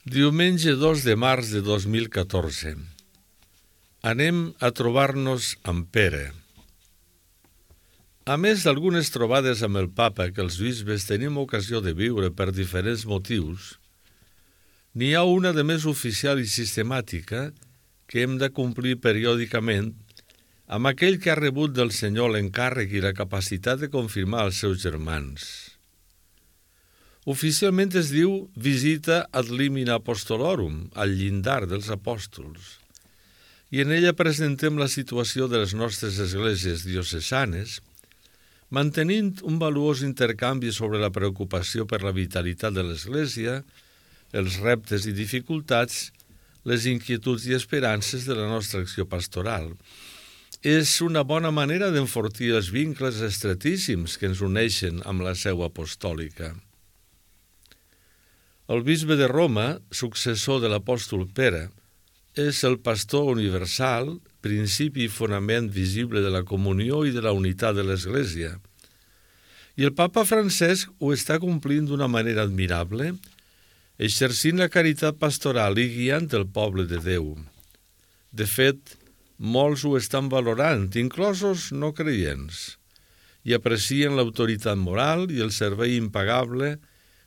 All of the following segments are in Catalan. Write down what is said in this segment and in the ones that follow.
Diumenge 2 de març de 2014. Anem a trobar-nos amb Pere. A més d'algunes trobades amb el papa que els bisbes tenim ocasió de viure per diferents motius, n'hi ha una de més oficial i sistemàtica que hem de complir periòdicament amb aquell que ha rebut del Senyor l'encàrrec i la capacitat de confirmar els seus germans. Oficialment es diu Visita ad limina apostolorum, al llindar dels apòstols, i en ella presentem la situació de les nostres esglésies diocesanes, mantenint un valuós intercanvi sobre la preocupació per la vitalitat de l'Església, els reptes i dificultats, les inquietuds i esperances de la nostra acció pastoral. És una bona manera d'enfortir els vincles estretíssims que ens uneixen amb la seu apostòlica. El bisbe de Roma, successor de l'apòstol Pere, és el pastor universal, principi i fonament visible de la comunió i de la unitat de l'Església. I el papa Francesc ho està complint d'una manera admirable, exercint la caritat pastoral i guiant el poble de Déu. De fet, molts ho estan valorant, inclosos no creients, i aprecien l'autoritat moral i el servei impagable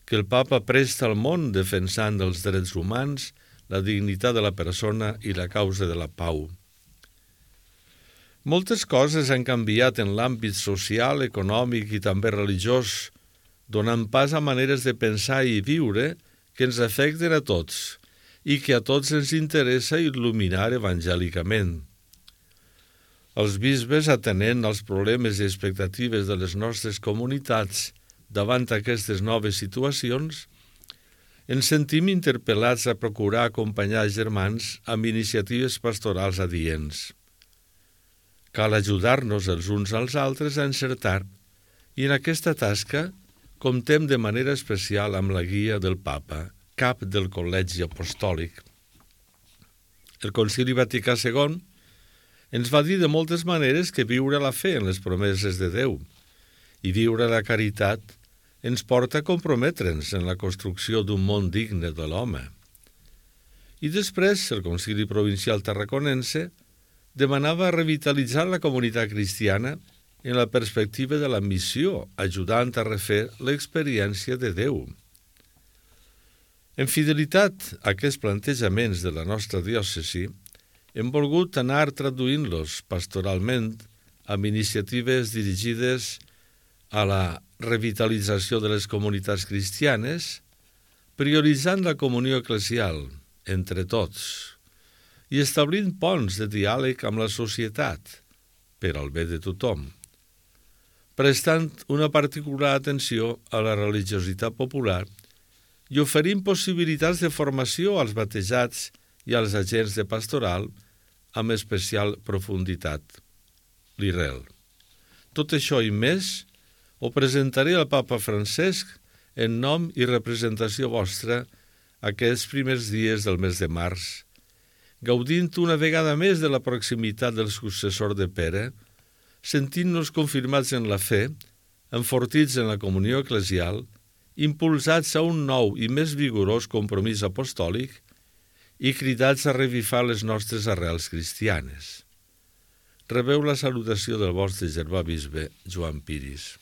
que el papa presta al món defensant els drets humans, la dignitat de la persona i la causa de la pau. Moltes coses han canviat en l'àmbit social, econòmic i també religiós, donant pas a maneres de pensar i viure que ens afecten a tots i que a tots ens interessa il·luminar evangèlicament. Els bisbes, atenent als problemes i expectatives de les nostres comunitats davant aquestes noves situacions, ens sentim interpel·lats a procurar acompanyar els germans amb iniciatives pastorals adients. Cal ajudar-nos els uns als altres a encertar i en aquesta tasca comptem de manera especial amb la guia del papa, cap del Col·legi Apostòlic. El Concili Vaticà II ens va dir de moltes maneres que viure la fe en les promeses de Déu i viure la caritat ens porta a comprometre'ns en la construcció d'un món digne de l'home. I després, el Concili Provincial Tarraconense demanava revitalitzar la comunitat cristiana en la perspectiva de la missió, ajudant a refer l'experiència de Déu. En fidelitat a aquests plantejaments de la nostra diòcesi, hem volgut anar traduint-los pastoralment amb iniciatives dirigides a la revitalització de les comunitats cristianes, prioritzant la comunió eclesial entre tots i establint ponts de diàleg amb la societat per al bé de tothom, prestant una particular atenció a la religiositat popular i oferint possibilitats de formació als batejats i als agents de pastoral amb especial profunditat. L'IREL. Tot això i més ho presentaré al papa Francesc en nom i representació vostra aquests primers dies del mes de març, gaudint una vegada més de la proximitat del successor de Pere, sentint-nos confirmats en la fe, enfortits en la comunió eclesial, impulsats a un nou i més vigorós compromís apostòlic i cridats a revifar les nostres arrels cristianes. Rebeu la salutació del vostre germà bisbe Joan Piris.